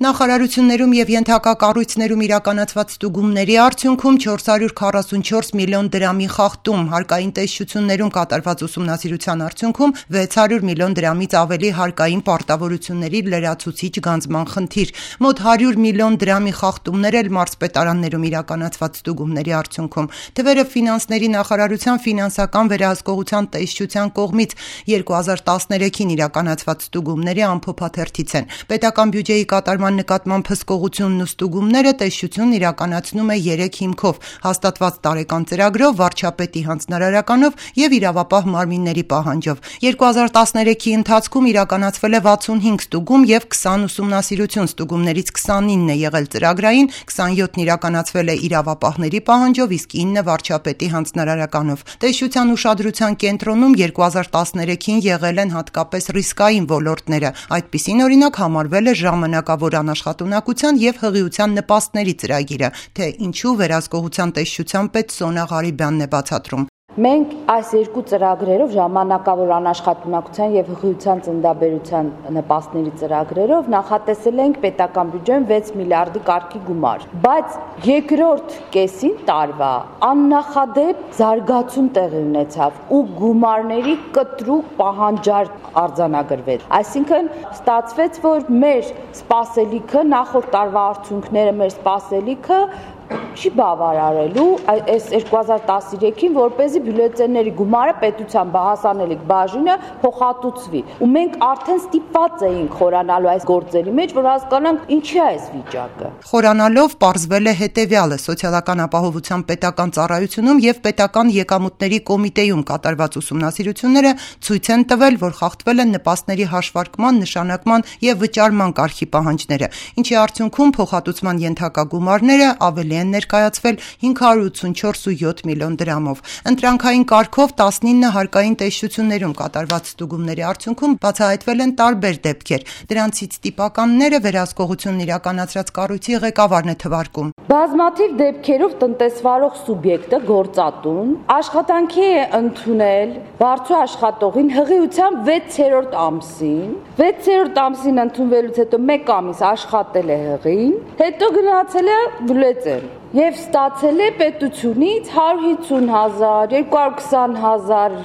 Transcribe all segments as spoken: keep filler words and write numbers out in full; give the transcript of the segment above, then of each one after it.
Նախարարություններում և ենթակա կառույցներում իրականացված ստուգումների արդյունքում չորս հարյուր քառասունչորս միլիոն դրամի խախտում, հարկային տեսչություններում կատարված ուսումնասիրության արդյունքում վեց հարյուր միլիոն դրամից ավելի հարկային պարտավորությունների լրացուցիչ գանձման խնդիր, մոտ հարյուր միլիոն դրամի խախտումներ էլ մարզպետարաններում իրականացված ստուգումների արդյունքում։ Թվերը ֆինանսների նախարարության ֆինանսական վերահսկողության տեսչության կողմից երկու հազար տասներեքին իրականացված ստուգումների ամփոփաթերթից են։ Պետական բյուջեի կատարման նկատմամբ հսկողությունն ու ստուգումները տեսչությունն իրականացնում է երեք հիմքով՝ հաստատված տարեկան ծրագրով, վարչապետի հանձնարարականով և իրավապահ մարմինների պահանջով։ երկու հազար տասներեքի ընթացքում իրականացվել է վաթսունհինգ ստուգում և քսան ուսումնասիրություն, ստուգումներից քսանինն է եղել ծրագրային, քսանյոթն իրականացվել է իրավապահների պահանջով, իսկ ինը վարչապետի հանձնարարականով։ Տեսչության ուշադրության կենտրոնում երկու հազար տասներեքին եղել են հատկապես ռիսկային ոլորտները, այդպիսին օրինակ համարվել է ժամանակավոր անաշխատունակության և հղիության նպաստների ծրագիրը, թե ինչու վերահսկողության տեսչության պետ Սոնա Ղարիբյանն է բացատրում։ Մենք այս երկու ծրագրերով ժամանակավոր անաշխատունակության և հղիության ծննդաբերության նպաստների ծրագրերով նախատեսել ենք պետական բյուջեում վեց միլիարդի կարգի գումար, բայց երկրորդ կեսին տարվա աննախադեպ զարգացում տեղի ունեցավ ու գումարների կտրուկ պահանջարկ արձանագրվեց։ Այսինքն ստացվեց, որ մեր սպասելիքը, նախորդ տարվա արդյունքները մեր սպասելիքը չի բավարարելու այս երկու հազար տասներեքին, որպեսզի բյուլետենների գումարը պետության հասանելիք բաժինը փոխհատուցվի։ Ու մենք արդեն ստիպված էինք խորանալու այս գործերի մեջ, որ հասկանանք ինչի է այս վիճակը։ Խորանալով պարզվել է հետևյալը՝ Սոցիալական ապահովության պետական ծառայությունում և պետական եկամուտների կոմիտեում կատարված ուսումնասիրությունները ցույց են տվել, որ խախտվել են նպաստների հաշվարկման, նշանակման և վճարման կարգի պահանջները, ինչի արդյունքում փոխհատուցման ենթակա գումարները ավելի են ներկայացվել հինգ հարյուր ութսունչորս կόμμα յոթ միլիոն դրամով։ Ընտրանքային կարգով տասնինը հարկային տեսչություններում կատարված ստուգումների արդյունքում բացահայտվել են տարբեր դեպքեր։ Դրանցից տիպականները վերահսկողությունն իրականացրած կառույցի ղեկավարն է թվարկում։ Բազմաթիվ դեպքերով տնտեսվարող սուբյեկտը գործատուն աշխատանքի է ընդունել բարձր աշխատողին հղիության վեցերորդ ամսին, վեցերորդ ամսին ընդունվելուց հետո մեկ ամիս աշխատել է հղին, հետո գնացել է բյուլետեն և ստացել է պետությունից հարյուր հիսուն հազար, երկու հարյուր քսան հազար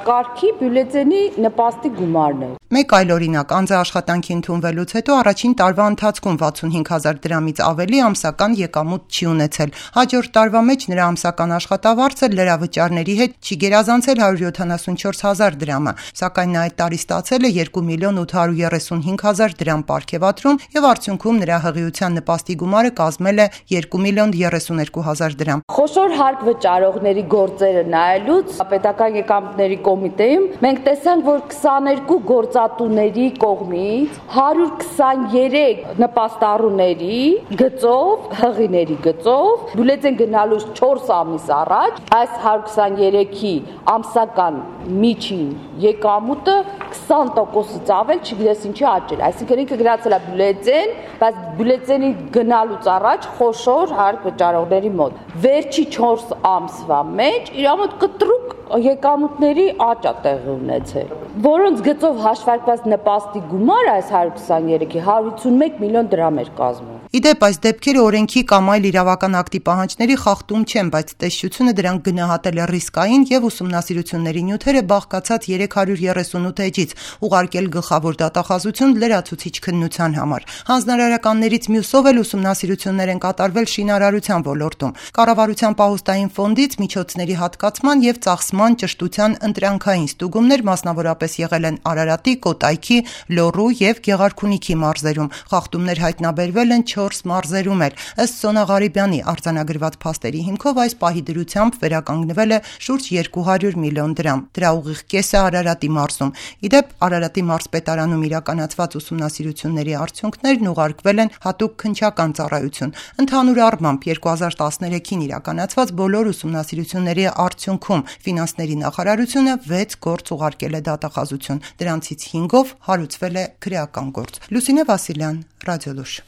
կարգի բյուլետենի նպաստի գումարներ։ Մեկ այլ օրինակ՝ անձը աշխատանքի ընդունվելուց հետո առաջին տարվա ընթացքում վաթսունհինգ հազար դրամից ավելի ամսական եկամուտ չի ունեցել։ Հաջորդ տարվա մեջ նրա ամսական աշխատավարձը լրավճարների հետ չի գերազանցել հարյուր յոթանասունչորս հազար դրամը, սակայն նա այդ տարի ստացել է երկու միլիոն ութ հարյուր երեսունհինգ հազար դրամ պարգևատրում և արդյունքում նրա հղիության նպաստի գումարը կազմել է երկու միլիոն երեսուներկու հազար դրամ։ Խոշոր հարկ վճարողների գործերը նայելուց պետական եկամուտների կոմիտեում մենք տեսանք, որ քսաներկու գործատուների կողմից հարյուր քսաներեք նպաստառուների գծով, հղիների գծով բյուլետեն գնալուց չորս ամիս առաջ այս հարյուր քսաներեքի ամսական միջին եկամուտը քսան տոկոսից ավել, չգիտես ինչի աճել։ Այսինքն ինքը գնացել է բյուլետեն, բայց բյուլետենի գնալուց առաջ խոշոր հարկ վճարողների մոտ վերջի չորս ամսվա մեջ իր մոտ կտրուկ եկամուտների աճ է տեղի ունեցել, որոնց գծով հաշվարկված նպաստի գումարը այս հարյուր քսաներեքի հարյուր ութսունմեկ միլիոն դրամ էր կազմում։ Իդեպ այս դեպքերը օրենքի կամ այլ իրավական ակտի պահանջների խախտում չեն, բայց տեսչությունը դրանք գնահատել է ռիսկային և ուսումնասիրությունների նյութերը բաղկացած երեք հարյուր երեսունութ էջից, ուղարկել գլխավոր դատախազություն լրացուցիչ քննության համար։ Հանձնարարականներից մյուսով էլ ուսումնասիրություններ են կատարվել շինարարության ոլորտում։ Կառավարության պահոստային ֆոնդից միջոցների հատկացման և ծախսման ճշտության ընտրանքային ստուգումներ մասնավորապես եղել են Արարատի, Կոտայքի, Լոռու և Գեղարքունիքի մարզերում։ Խախտումներ հայտնաբերվել են չորս մարզերում էլ։ Ըստ Սոնա Ղարիբյանի արձանագրված փաստերի հիմքով այս պահի դրությամբ վերականգնվել է շուրջ երկու հարյուր միլիոն դրամ։ Դրա ուղիղ կեսը Արարատի մարզում։ Իդեպ Արարատի մարզպետարանում իրականացված ուսումնասիրությունների արդյունքներն ուղարկվել են հատուկ քննչական ծառայություն։ Ընդհանուր առմամբ երկու հազար տասներեքին իրականացված բոլոր ուսումնասիրությունների արդյունքում ֆինանսների նախարարությունը վեց գործ ուղարկել է դատախազություն։ Դրանցից հինգով հարուցվել է քրեական գործ։ Լուսինե Վասիլյան, Ռադիոլուր։